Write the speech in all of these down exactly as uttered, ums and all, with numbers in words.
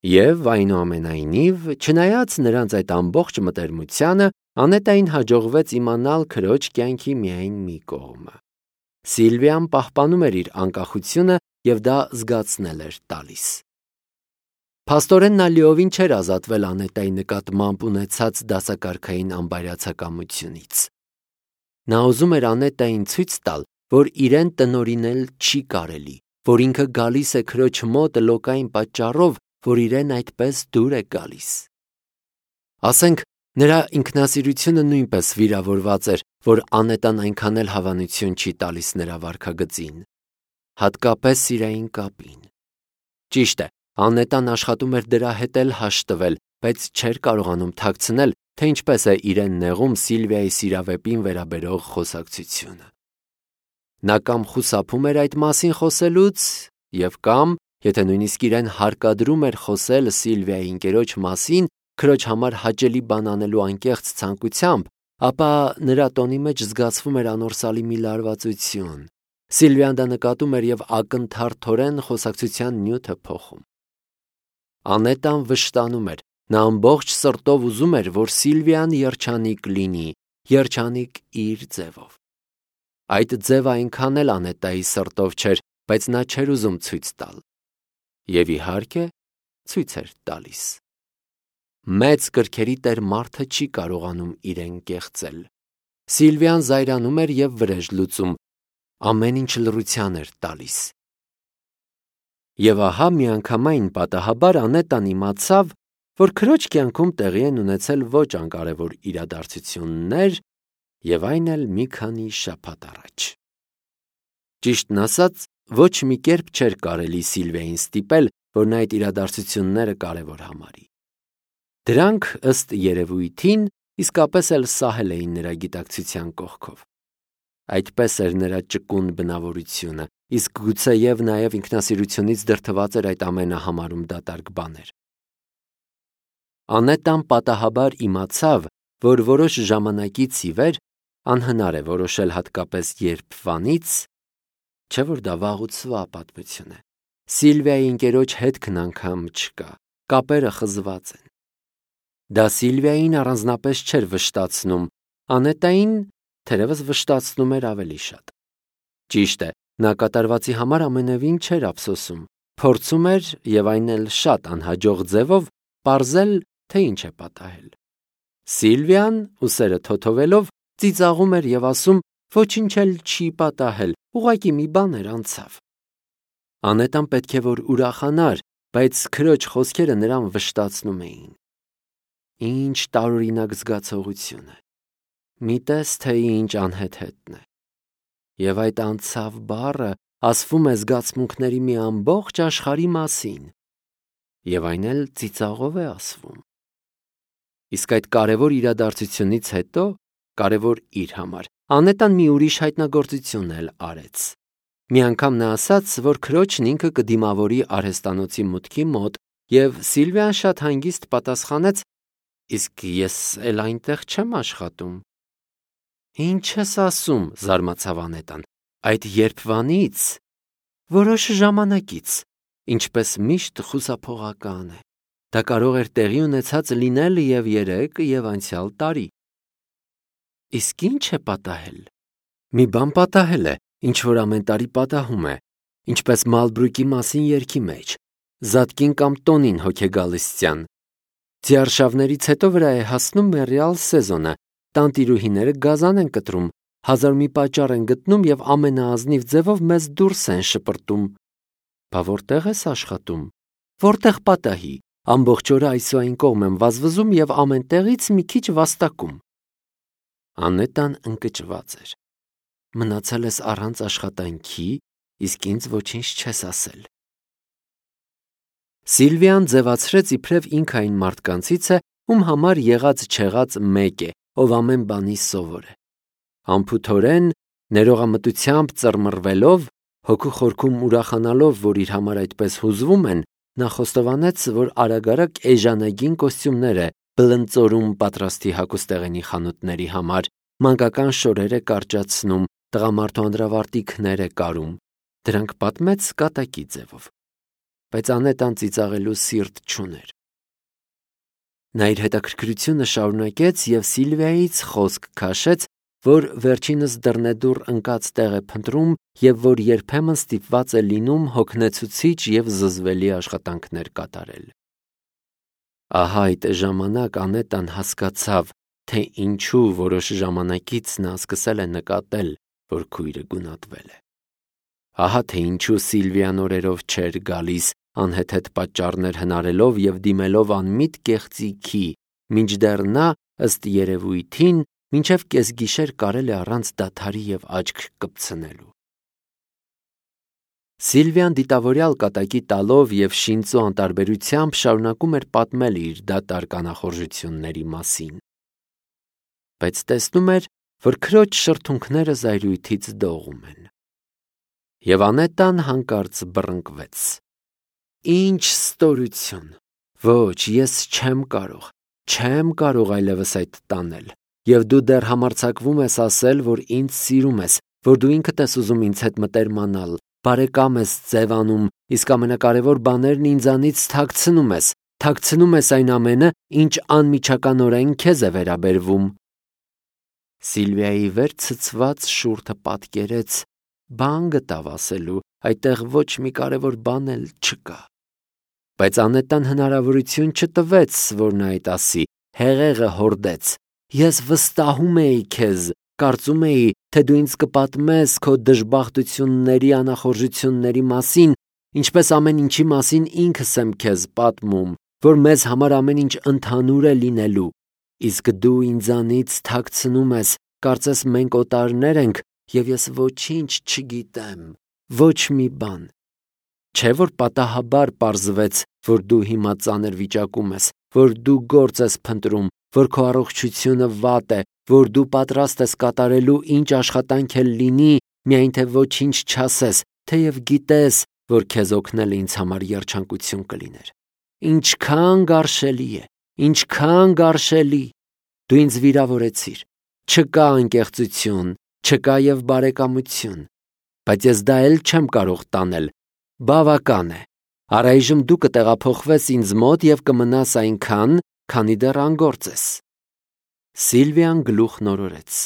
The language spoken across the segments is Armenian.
Եվ այնուամենայնիվ, չնայած նրանց այդ ամբողջ մտերմությանը, Անետային հաջողվեց իմանալ քրոջ կյանքի միայն մի կողմը։ Սիլվիան պահպանում էր իր անկախությունը և դա զգացնել էր տալիս։ Փաստորեն նա լիովին չէր ազատվել Անետայի նկատմամբ ունեցած դասակարգային անբարյացակամությունից։ Նա ուզում էր Անետային ցույց տալ, որ իրեն տնօրինել չի կարելի, որ ինքը գալիս է քրոջ մոտ լոկային պատճառով, որ իրեն այդպես դուր է գալիս։ Ասենք, նրա ինքնասիրությունը նույնպես վիրավորված էր, որ Անետան այնքան էլ հավանություն չի տալիս նրա վարքագծին, հատկապես սիրային կապին։ Ճիշտ է, Անետան աշխատում էր դրա հետ էլ հաշտվել, բայց չէր կարողանում թաքցնել, թե ինչպես է իրեն նեղում Սիլվիայի սիրավեպին վերաբերող խոսակցությունը։ Նա կամ խուսափում էր այդ մասին խոսելուց և կամ, եթե նույնիսկ իրեն հարկադրում էր խոսել Սիլվիայի ընկերոջ մասին, քրոջ համար հաճելի բան անելու անկեղծ ցանկությամբ, ապա նրա տոնի մեջ զգացվում էր անորսալի մի լարվածություն։ Սիլվիան դա նկատում էր և ակնթարթորեն խոսակցության նյութը փոխում։ Անետան վշտանում էր, նա ամբողջ սրտով ուզում էր, որ Սիլվիան երջանիկ լինի, երջանիկ իր ձևով։ Այդ ձևը այնքան էլ Անետայի սրտով չէր, բայց նա չէր ուզում ցույց տալ։ Եվ իհարկե, ցույց էր տալիս։ Մեծ կրքերի տեր մարդը չի կարողանում իրեն կեղծել։ Սիլվիան զայրանում էր և վրեժ լուծում, ամեն ինչ լռության էր տալիս։ Եվ ահա միանգամայն պատահաբար Անետան իմացավ, որ քրոջ կյանքում տեղի են ունեցել ոչ անկարևոր իրադարձություններ, և այն էլ մի քանի շաբաթ առաջ։ Ճիշտն ասած, ոչ մի կերպ չէր կարելի Սիլվիային ստիպել, որ նա այդ իրադարձությունները կարևոր համարի։ Դրանք, ըստ երևույթին, իսկապես էլ սահել էին նրա գիտակցության կողքով։ Այդպես էր նրա ճկուն բնավորությունը, իսկ գուցեև նաև ինքնասիրությունից դրդված էր այդ ամենը համարում դատարկ բաներ։ Անետան պատահաբար իմացավ, որ որոշ ժամանակից ի վեր անհնար է որոշել հատկապես երբվանից, չէ՞ որ դա վաղուցվա պատմություն է։ Սիլվիայի ընկերոջ հետքն անգամ չկա, կապերը խզված են։ Դա Սիլվիային առանձնապես չէր վշտացնում, Անետային թերևս վշտացնում էր ավելի շատ։ Ճիշտ է, նա կատարվածի համար ամենևին չէր ափսոսում, փորձում էր և այն էլ շատ անհաջող ձևով պարզել, թե ինչ է պատահել։ Սիլվիան, ուսերը թոթովելով, ծիծաղում էր և ասում, ոչինչ էլ չի պատահել, ուղղակի մի բան էր անցավ։ Անետան պետք է որ ուրախանար, բայց քրոջ խոսքերը նրան վշտացնում էին։ Ինչ տարօրինակ զգացողություն է։ Մի տես, թե ինչ անհեթեթն է։ Եվ այդ անցավ բառը ասվում է զգացմունքների մի ամբողջ աշխարհի մասին, և այն էլ ծիծաղով է ասվում։ Իսկ այդ կարևոր իրադարձությունից հետո, կարևոր իր համար, Անետան մի ուրիշ հայտնագործություն էլ արեց։ Մի անգամ նա ասաց, որ քրոջն ինքը կդիմավորի արհեստանոցի մուտքի մոտ, և Սիլվիան շատ հանգիստ պատասխանեց. «Իսկ ես էլ այնտեղ չեմ աշխատում»։ «Ինչ ես ասում», զարմացավ Անետան, «այդ երբվանից, որոշ ժամանակից, ինչպես միշտ խուսափողական է։ Դա կարող էր տեղի ունեցած լինել և երեկ, և անցյալ տարի»։ «Իսկ ի՞նչ է պատահել»։ «Մի բան պատահել է, ինչ որ ամեն տարի պատահում է, ինչպես Մալբրուկի մասին երգի մեջ. Զատկին կամ տոնին հոգեգալստյան։ Ձիարշավներից հետո վրա է հասնում մեռյալ սեզոնը, տանտիրուհիները գազան են կտրում, հազար մի պատճառ են գտնում և ամենաազնիվ ձևով մեզ դուրս են շպրտում։ Բա որտե՞ղ ես աշխատում։ Որտեղ պատահի, ամբողջ օրը այս ու այն կողմ եմ վազվզում և ամեն տեղից մի քիչ վաստակում։ Անետան ընկճված էր։ Մնացել ես առանց աշխատանքի, իսկ ինձ ոչինչ չես ասել։ Սիլվիան ձևացրեց իբրև ինքը այն մարդկանցից է, ում համար եղած-չեղած մեկ է, ով ամեն բանի սովոր է։ Անփութորեն, ներողամտությամբ ծռմռվելով, հոգու խորքում ուրախանալով, որ իր համար այդպես հուզվում են, նա խոստովանեց, որ արագ-արագ էժանագին կոստյումներ է բլնծորում պատրաստի հագուստեղենի խանութների համար, մանկական շորեր է կարճացնում, տղամարդու անդրավարտիքներ է կարում։ Դրանք պատմեց կատակի ձևով։ բայց Անետան ծիծաղելու սիրտ չուներ։ Նա իր հետաքրքրությունը շարունակեց և Սիլվիայից խոսք քաշեց, որ վերջինս դռնեդուռ ընկած տեղ է փնտրում և որ երբեմն ստիպված է լինում հոգնեցուցիչ և զզվելի աշխատանքներ կատարել։ Ահա այդ ժամանակ Անետան հասկացավ, թե ինչու որոշ ժամանակից նա սկսել է նկատել, որ քույրը գունատվել է։ Ահա թե ինչու Սիլվիան օրերով չէր գալիս, անհեթեթ պատճառներ հնարելով և դիմելով անմիտ կեղծիքի, մինչդեռ նա, ըստ երևույթին, մինչև կեսգիշեր կարել է առանց դադարի և աչք կպցնելու։ Սիլվիան դիտավորյալ կատակի տալով և շինծու անտարբերությամբ շարունակում էր պատմել իր դատարկ անախորժությունների մասին, բայց տեսնում էր, որ քրոջ շրթունքները զայրույթից դողում են։ Եվ Անետան հանկարծ բռնկվեց. «Ինչ ստորություն, ոչ, ես չեմ կարող, չեմ կարող այլևս այդ տանել, և դու դեռ համարձակվում ես ասել, որ ինձ սիրում ես, որ դու ինքդ ես ուզում ինձ հետ մտերմանալ, բարեկամ ես ձևանում, իսկ ամենակարևոր բաներն ինձանից թաքցնում ես, թաքցնում ես այն ամենը, ինչ անմիջականորեն քեզ է վերաբերվում»։ Սիլվիայի վեր ցցված շուրթը պատկերեց, բան գտավ ասելու, այդտեղ ոչ մի կարևոր բան էլ չկա։ Բայց Անետան հնարավորություն չտվեց, որ նա այդ ասի, հեղեղը հորդեց. «Ես վստահում էի քեզ, կարծում էի, թե դու ինձ կպատմես քո դժբախտությունների, անախորժությունների մասին, ինչպես ամեն ինչի մասին ինքս եմ քեզ պատմում, որ մեզ համար ամեն ինչ ընդհանուր է լինելու, իսկ դու ինձանից թաքցնում ես, կարծես մենք օտարներ ենք, և ես ոչինչ չգիտեմ, ոչ մի բան։ Չէ՞ որ պատահաբար պարզվեց, որ դու հիմա ծանր վիճակում ես, որ դու գործ ես փնտրում, որ քո առողջությունը վատ է, որ դու պատրաստ ես կատարելու ինչ աշխատանք էլ լինի, միայն թե ոչինչ չասես, թեև գիտես, որ քեզ օգնելը ինձ համար երջանկություն կլիներ։ Ինչքան գարշելի է, ինչքան գարշելի։ Դու ինձ վիրավորեցիր։ Չկա անկեղծություն, չկա և բարեկամություն, բայց ես դա էլ չեմ կարող տանել։ Բավական է։ Առայժմ դու կտեղափոխվես ինձ մոտ և կմնաս այնքան, քանի դեռ անգործ ես։ Սիլվիան գլուխ նորորեց.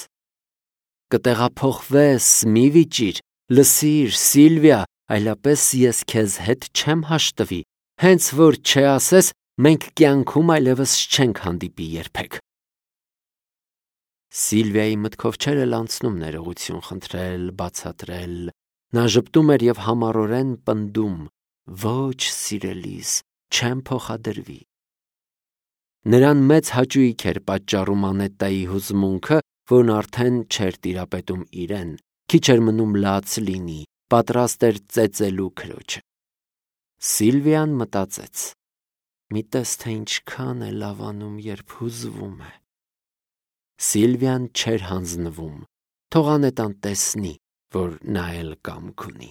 Կտեղափոխվես, մի վիճիր, լսիր, Սիլվիա, այլապես ես քեզ հետ չեմ հաշտվի, հենց որ չասես, մենք կյանքում այլևս չենք հանդիպի երբեք։ Սիլվիայի մտքով չէր էլ անցնում ներողություն խնդրել, բացատրել։ Նա ժպտում էր և համառորեն պնդում. «Ոչ, սիրելիս, չեմ փոխադրվի»։ Նրան մեծ հաճույք էր պատճառում Անետայի հուզմունքը, որն արդեն չէր տիրապետում իրեն, քիչ էր մնում լաց լինի, պատրաստ էր ծեծելու քրոջը։ Սիլվիան մտածեց. մի տես թե ինչքան է լավանում, երբ հուզվում է։ Սիլվիան չէր հանձնվում, թող Անետան տեսնի, որ նա էլ կամք ունի։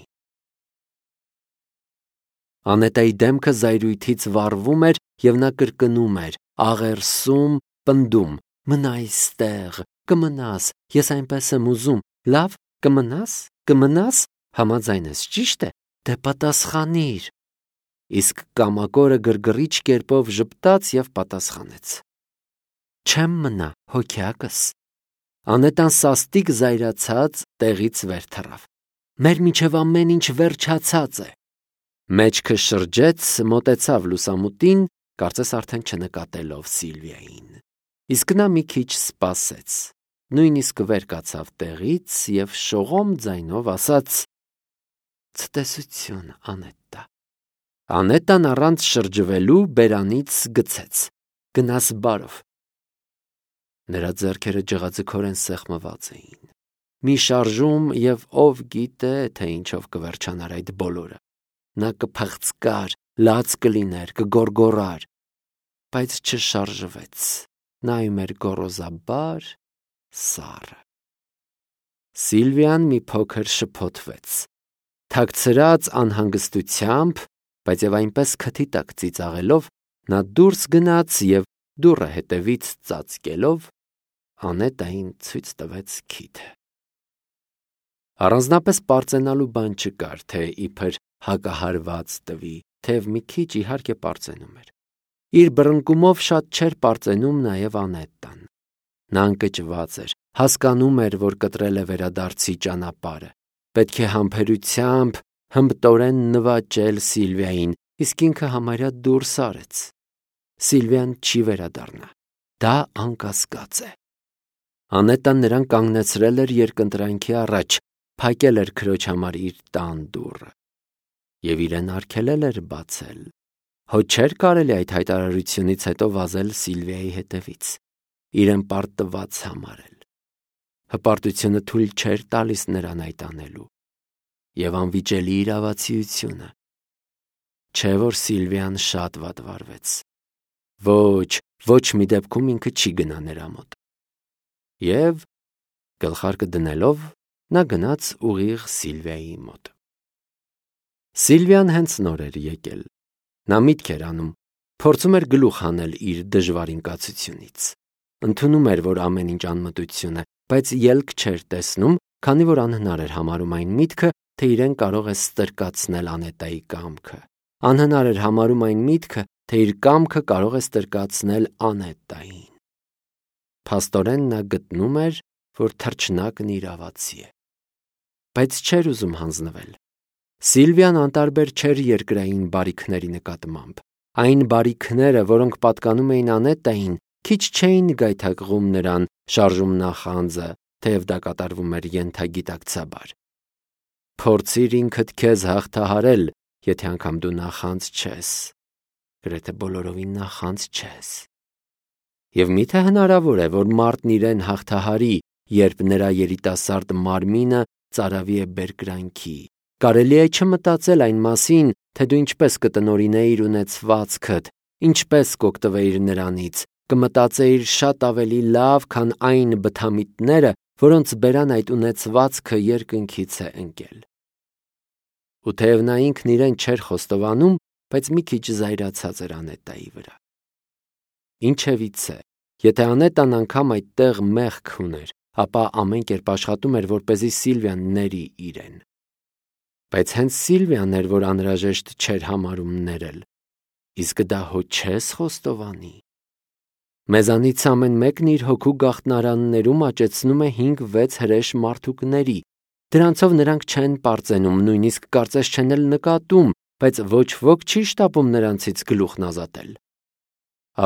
Անետայի դեմքը զայրույթից վառվում էր, և նա կրկնում էր, աղերսում, պնդում. «Մնա այստեղ, կմնաս, ես այնպես եմ ուզում, լավ, կմնաս, կմնաս, համաձայն ես, ճիշտ է, դե պատասխանիր»։ Իսկ կամակորը գրգռիչ կերպով ժպտաց և պատասխանեց. «Չեմ մնա, հոգյակս»։ Անետան սաստիկ զայրացած տեղից վեր թռավ. «Մեր միջև ամեն ինչ վերջացած է»։ Մեջքը շրջեց, մոտեցավ լուսամուտին, կարծես արդեն չնկատելով Սիլվիային։ Իսկ նա մի քիչ սպասեց, նույնիսկ վեր կացավ տեղից և շողոմ ձայնով ասաց. «Ցտեսություն, Անետտա»։ Անետան առանց շրջվելու բերանից գցեց. «Գնաս բարով»։ Նրա ձեռքերը ջղաձգորեն սեղմված էին։ Մի շարժում, և ով գիտե, թե ինչով կվերջանար այդ բոլորը։ Նա կփղծկար, լաց կլիներ, կգոռգոռար, բայց չշարժվեց, նայում էր գոռոզաբար սառը։ Սիլվիան մի փոքր շփոթվեց, թաքցրած անհանգստությամբ, բայց և այնպես քթի տակ ծիծաղելով, նա դուրս գնաց և դուռը հետևից ծածկելով Անետային ցույց տվեց քիթը։ Առանձնապես պարծենալու բան չկար, թե իբր հակահարված տվի, թեև մի քիչ իհարկե պարծենում էր։ Իր բռնկումով շատ չէր պարծենում նաև Անետտան։ Նա ընկճված էր, հասկանում էր, որ կտրել է վերադարձի ճանապարհը։ Պետք է համբերությամբ, հմտորեն նվաճել Սիլվիային, իսկ ինքը համարյա դուրս արեց։ Սիլվիան չի վերադառնա։ Դա անկասկած է։ Անետտան նրան կանգնեցրել էր երկընտրանքի առաջ, փակել էր քրոջ համար իր տան դուռը և իրեն արգելել էր բացել։ Հո չէր կարելի այդ հայտարարությունից հետո վազել Սիլվիայի հետևից, իրեն պարտված համարել։ Հպարտությունը թույլ չէր տալիս նրան այդ անելու, և անվիճելի իրավացիությունը։ Չէ՞ որ Սիլվիան շատ վատ վարվեց։ Ոչ, ոչ մի դեպքում ինքը չի գնա նրա մոտ։ Եվ գլխարկը դնելով նա գնաց ուղիղ Սիլվիայի մոտ։ Սիլվիան հենց նոր էր եկել։ Նա միտք էր անում, փորձում էր գլուխ հանել իր դժվար ինկացությունից։ Ընդունում էր, որ ամեն ինչ անմտություն է, բայց ելք չէր տեսնում, քանի որ անհնար էր համարում այն միտքը, թե իրեն կարող է ստրկացնել Անետայի կամքը։ Անհնար էր համարում այն միտքը, թե իր կամքը կարող է ստրկացնել Անետային։ Փաստորեն նա գտնում էր, որ թռչնակն իրավացի է։ Բայց չէր ուզում հանձնվել։ Սիլվիան անտարբեր չէր երկրային բարիքների նկատմամբ։ Այն բարիքները, որոնք պատկանում էին Անետային, քիչ չէին գայթակղում նրան շարժում նախանձը, թեև դա կատարվում էր ենթագիտակցաբար։ Փորձիր ինքդ քեզ հաղթահարել, եթե անգամ դու նախանձ չես, գրեթե բոլորովին նախանձ չես։ Եվ միթե հնարավոր է, որ մարդն իրեն հաղթահարի, երբ նրա երիտասարդ մարմինը ծարավի է բերկրանքի։ Կարելի է չմտածել այն մասին, թե դու ինչպես կտնօրինեիր ունեցվածքդ, ինչպես կօգտվեիր նրանից, կմտածեիր շատ ավելի լավ, քան այն բթամիտները, որոնց բերան այդ ունեցվածքը երկնքից է ընկել։ Ու թեև նա ինքն իրեն չէր խոստովանում, բայց մի քիչ զայրացած էր Անետայի վրա։ Ինչևիցե, եթե Անետան անգամ այդտեղ մեղք ուներ, ապա ամեն կերպ աշխատում էր, որպեսզի Սիլվիան ների իրեն։ Բայց հենց Սիլվիան էր, որ անհրաժեշտ չէր համարում ներել։ Իսկ դա հո չես խոստովանի։ Մեզանից ամեն մեկն իր հոգու գաղտնարաններում աճեցնում է հինգ-վեց հրեշ մարդուկների։ Դրանցով նրանք չեն պարծենում, նույնիսկ կարծես չեն էլ նկատում, բայց ոչ ոք չի շտապում նրանցից գլուխն ազատել։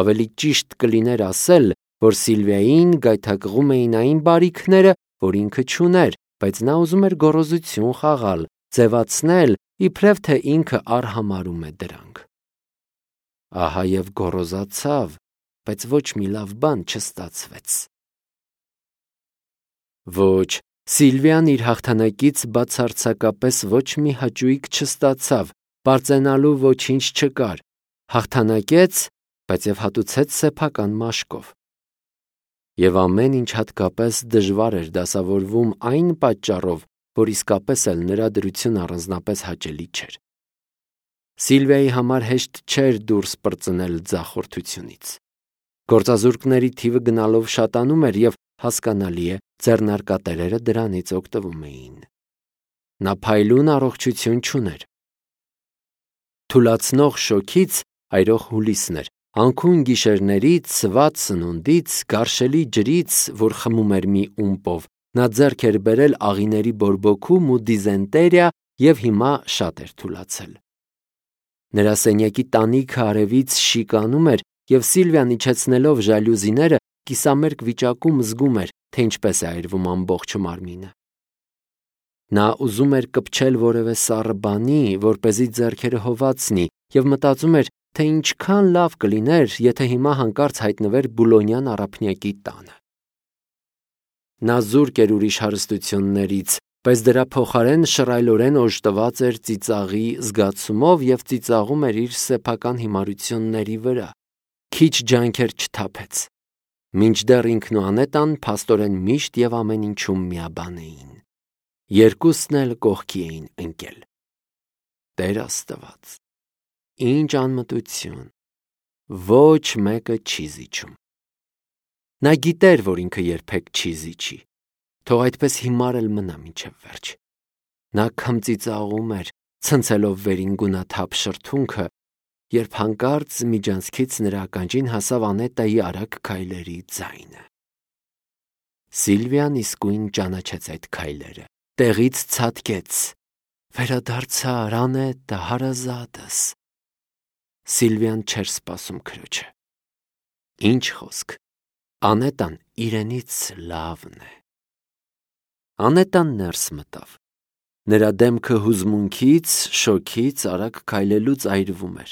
Ավելի ճիշտ կլիներ ասել, որ Սիլվիային գայթակղում էին այն բարիքները, որ ինքը չուներ, բայց նա ուզում էր գոռոզություն խաղալ, ձևացնել, իբրև թե ինքը արհամարհում է դրանք։ Ահա և գոռոզացավ, բայց ոչ մի լավ բան չստացվեց։ Ոչ, Սիլվիան իր հաղթանակից բացարձակապես ոչ մի հաճույք չստացավ, պարծենալու ոչինչ չկար։ Հաղթանակեց, բայց և հատուցեց սեփական մաշկով։ Եվ ամեն ինչ հատկապես դժվար էր դասավորվում այն պատճառով, որ իսկապես էլ նրա դրությունը առանձնապես հաճելի չէր։ Սիլվիայի համար հեշտ չէր դուրս պրծնել ձախորդությունից։ Գործազուրկների թիվը գնալով շատանում էր և, հասկանալի է, ձեռնարկատերերը դրանից օգտվում էին։ Նա փայլուն առողջություն չուներ։ Թուլացնող շոգից այրող հուլիսն էր, անքուն գիշերներից, սված սնունդից, գարշելի ջրից, որ խմում էր մի ումպով, նա ձեռք էր բերել աղիների բորբոքում ու դիզենտերիա և հիմա շատ էր թուլացել։ Նրա սենյակի տանիքը արևից շիկանում էր, և Սիլվիան իջեցնելով ժալյուզիները, կիսամերկ վիճակում զգում էր, թե ինչպես է այրվում ամբողջ մարմինը։ Նա ուզում էր կպչել որևէ սառը բանի, որպեսզի ձեռքերը հովացնի, և մտածում էր, թե ինչքան լավ կլիներ, եթե հիմա հանկարծ հայտնվեր Բուլոնյան առափնյակի տանը։ Նա զուրկ էր ուրիշ հարստություններից, բայց դրա փոխարեն շռայլորեն օժտված էր ծիծաղի զգացումով և ծիծաղում էր իր սեփական հիմարությունների վրա։ Քիչ ջանքեր չթափեց։ Մինչդեռ ինքն ու Անետան փաստորեն միշտ և ամեն ինչում միաբան էին։ Երկուսն էլ կողքի էին ընկել։ Տեր Աստված, ինչ անմտություն, ոչ մեկը չի զիջում։ Նա գիտեր, որ ինքը երբեք չի զիջի, թող այդպես հիմար էլ մնա մինչև վերջ։ Նա քմծիծաղում էր, ցնցելով վերին գունաթափ շրթունքը երբ հանկարծ միջանցքից նրա ականջին հասավ Անետայի արագ քայլերի ձայնը։ Սիլվիան իսկույն ճանաչեց այդ քայլերը, տեղից ցատկեց. «Վերադարձար, Անետա, հարազատս»։ Սիլվիան չէր սպասում քրոջը։ Ինչ խոսք, Անետան իրենից լավն է։ Անետան ներս մտավ։ Նրա դեմքը հուզմունքից, շոքից, արագ քայլելուց այրվում էր։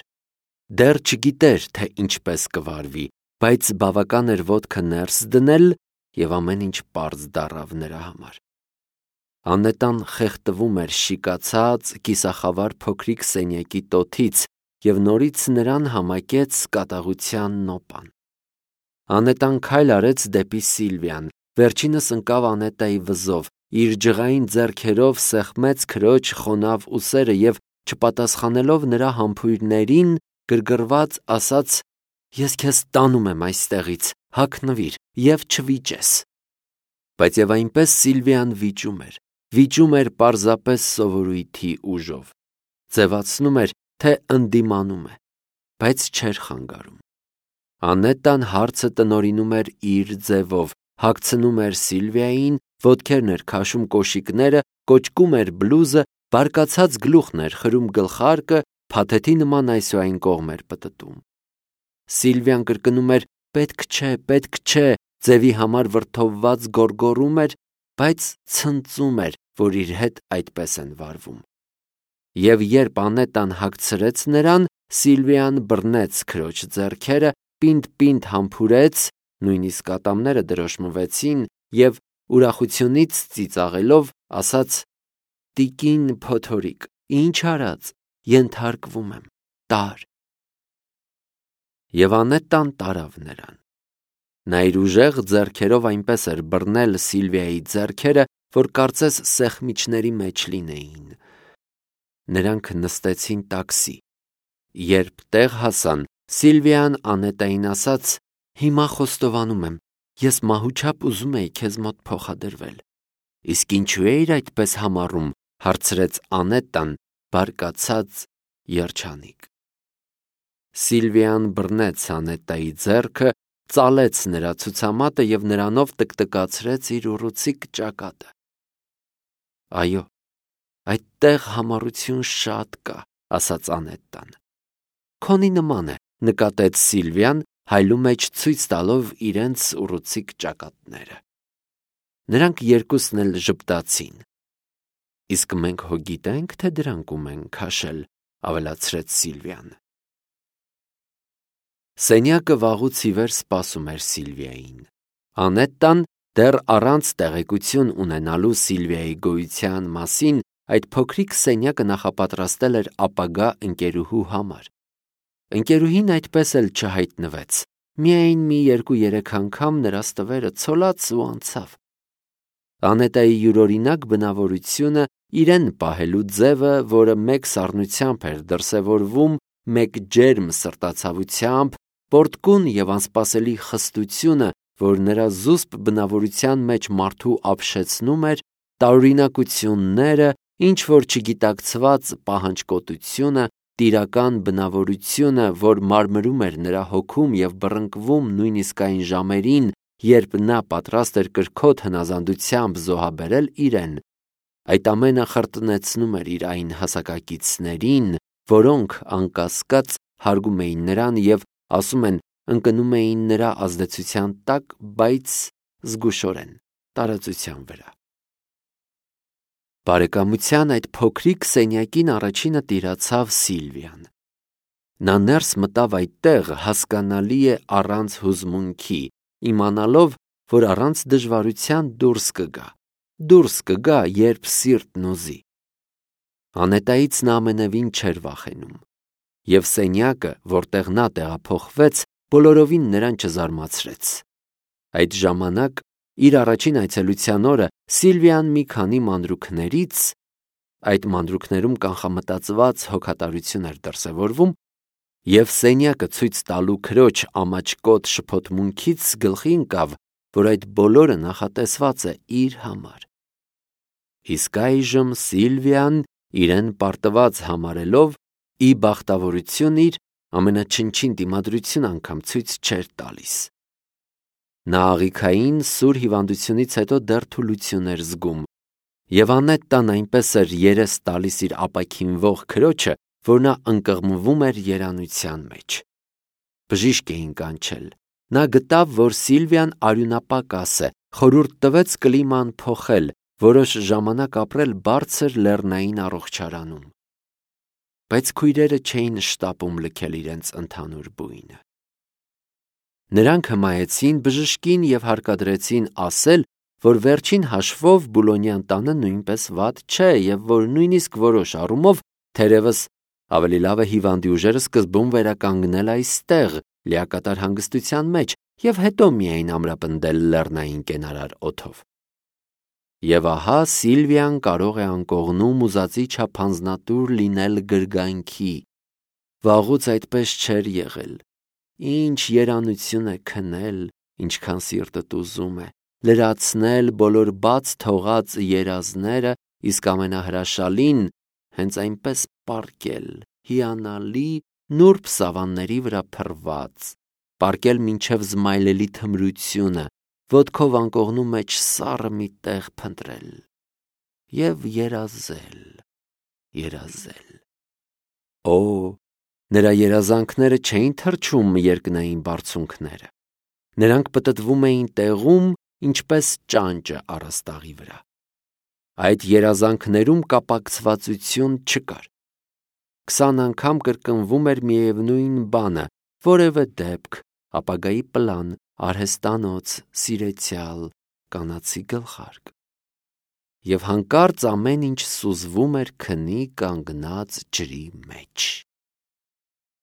Դեռ չգիտեր, թե ինչպես կվարվի, բայց բավական էր ոտքը ներս դնել, և ամեն ինչ պարզ դառավ նրա համար։ Անետան խեղդվում էր շիկացած, կիսախավար փոքրիկ սենյակի տոթից և նորից նրան համակեց կատաղության նոպան։ Անետան քայլ արեց դեպի Սիլվիան, վերջինս ընկավ Անետայի վզով, իր ջղային ձեռքերով սեղմեց քրոջ խոնավ ուսերը և, չպատասխանելով նրա համբույրներին, գրգռված ասաց. «Ես քեզ տանում եմ այստեղից, հագնվիր և չվիճես»։ Բայց և այնպես Սիլվիան վիճում էր, վիճում էր պարզապես սովորույթի ուժով, ձևացնում էր, թե ընդդիմանում է, բայց չէր խանգարում։ Անետան հարցը տնօրինում էր իր ձևով, հագցնում էր Սիլվիային, ոտքերն էր քաշում կոշիկները, կոճկում էր բլուզը, բարկացած գլուխն էր խրում գլխարկը, փաթեթի նման այսուայն կողմ էր պտտում։ Սիլվիան կրկնում էր «պետք չէ, պետք չէ», ձևի համար վրդովված գոռգոռում էր, բայց ցնծում էր, որ իր հետ այդպես են վարվում։ Եվ երբ Անետան հագցրեց նրան, Սիլվիան բռնեց քրոջ ձեռքերը, պինդ-պինդ համբուրեց, նույնիսկ ատամները դրոշմվեցին և ուրախությունից ծիծաղելով ասաց. «Տիկին փոթորիկ, ինչ արած, ենթարկվում եմ, տար»։ Եվ Անետան տարավ նրան։ Նա իր ուժեղ ձեռքերով այնպես էր բռնել Սիլվիայի ձեռքերը, որ կարծես սեղմիչների մեջ լինեին։ Նրանք նստեցին տաքսի։ Երբ տեղ հասան, Սիլվիան Անետային ասաց. «Հիմա խոստովանում եմ, ես մահուչապ ուզում էի քեզ մոտ փոխադրվել»։ «Իսկ ինչու էիր այդպես համառում»։ Հարցրեց Անետան, բարկացած, երջանիկ։ Սիլվիան բռնեց Անետայի ձեռքը, ծալեց նրա ցուցամատը և նրանով տկտկացրեց իր ուռուցիկ ճակատը։ «Այո, այդտեղ համառություն շատ կա», ասաց Անետան։ «Քոնի նման է», նկատեց Սիլվիան, հայլու մեջ ցույց տալով իրենց ուռուցիկ ճակատները։ Նրանք երկուսն էլ ժպտացին։ «Իսկ մենք հո գիտե՞նք, թե դրանք ում են քաշել», ավելացրեց Սիլվիան։ Սենյակը վաղուց ի վեր սպասում էր Սիլվիային։ Անետան, դեռ առանց տեղեկություն ունենալու Սիլվիայի գոյության մասին, այդ փոքրիկ սենյակը նախապատրաստել էր ապագա ընկերուհու համար։ Ընկերուհին այդպես էլ չհայտնվեց, միայն մի երկու-երեք անգամ նրա ստվերը ցոլաց ու անցավ։ Անետայի յուրօրինակ բնավորությունը, իրեն պահելու ձևը, որը մեկ սառնությամբ էր դրսևորվում, մեկ ջերմ սրտացավությամբ, պոռթկուն և անսպասելի խստությունը, որ նրա զուսպ բնավորության մեջ մարդու ապշեցնում էր, տարօրինակությունները, ինչ-որ չգիտակցված պահանջկոտությունը, տիրական բնավորությունը, որ մարմրում էր նրա հոգում և բռնկվում նույնիսկ այն ժամերին, երբ նա պատրաստ էր կրքոտ հնազանդությամբ զոհաբերել իրեն, այդ ամենը խրտնեցնում էր իր այն հասակակիցներին, որոնք, անկասկած, հարգում էին նրան և, ասում են, ընկնում էին նրա ազդեցության տակ, բայց զգուշորեն, տարածության վրա։ Բարեկամության այդ փոքրիկ սենյակին առաջինը տիրացավ Սիլվիան։ Նա ներս մտավ այդտեղ, հասկանալի է, առանց հուզմունքի, իմանալով, որ առանց դժվարության դուրս կգա, դուրս կգա, երբ սիրտն ուզի։ Անետայից նա ամենևին չէր վախենում։ Եվ սենյակը, որտեղ նա տեղափոխվեց, բոլորովին նրան չզարմացրեց։ Այդ ժամանակ, իր առաջին այցելության օրը, Սիլվիան մի քանի մանրուքներից, այդ մանրուքներում կանխամտածված հոգատարություն էր դրսևորվում, և սենյակը ցույց տալու քրոջ ամաչկոտ շփոթմունքից գլխի ընկավ, որ այդ բոլորը նախատեսված է իր համար։ Իսկ այժմ Սիլվիան, իրեն պարտված համարելով, ի բախտավորություն իր, ամենաչնչին դիմադրություն անգամ ցույց չէր տալիս։ Նա աղիքային սուր հիվանդությունից հետո դեռ թուլություն էր զգում, եւ Անետտան այնպես էր երես տալիս իր ապաքինվող քրոջը, որ նա ընկղմվում էր երանության մեջ։ Բժիշկ էին կանչել։ Նա գտավ, որ Սիլվիան արյունապակաս է, խորհուրդ տվեց կլիման փոխել, որոշ ժամանակ ապրել բարձր լեռնային առողջարանում։ Բայց քույրերը չէին շտապում լքել իրենց ընդհանուր բույնը։ Նրանք հմայեցին բժշկին և հարկադրեցին ասել, որ վերջին հաշվով Բուլոնյան տանը նույնպես վատ չէ և որ նույնիսկ որոշ առումով թերևս ավելի լավ է հիվանդի ուժերը սկզբում վերականգնել այստեղ, լիակատար հանգստության մեջ, և հետո միայն ամրապնդել լեռնային կենարար օդով։ Եվ ահա Սիլվիան կարող է անկողնում ուզածի չափ հանձնատուր լինել գրգանքի։ Վաղուց այդպես չէր եղել։ Ինչ երանություն է քնել, ինչքան սիրտդ ուզում է, լրացնել բոլոր բաց թողած երազները, իսկ ամենահրաշալին հենց այնպես պառկել, հիանալի նուրբ սավանների վրա փռված, պառկել մինչև զմայլելի թմրությունը, ոտքով անկողնու մեջ սառը մի տեղ փնտրել և երազել, երազել։ Օ, նրա երազանքները չէին թռչում երկնային բարձունքները։ Նրանք պտտվում էին տեղում, ինչպես ճանճը առաստաղի վրա։ Այդ երազանքներում կապակցվածություն չկար։ Քսան անգամ կրկնվում էր միևնույն բանը, որևէ դեպք, ապագայի պլան, արհեստանոց, սիրեցյալ, կանացի գլխարկ։ Եվ հանկարծ ամեն ինչ սուզվում էր քնի կանգնած ջրի մեջ։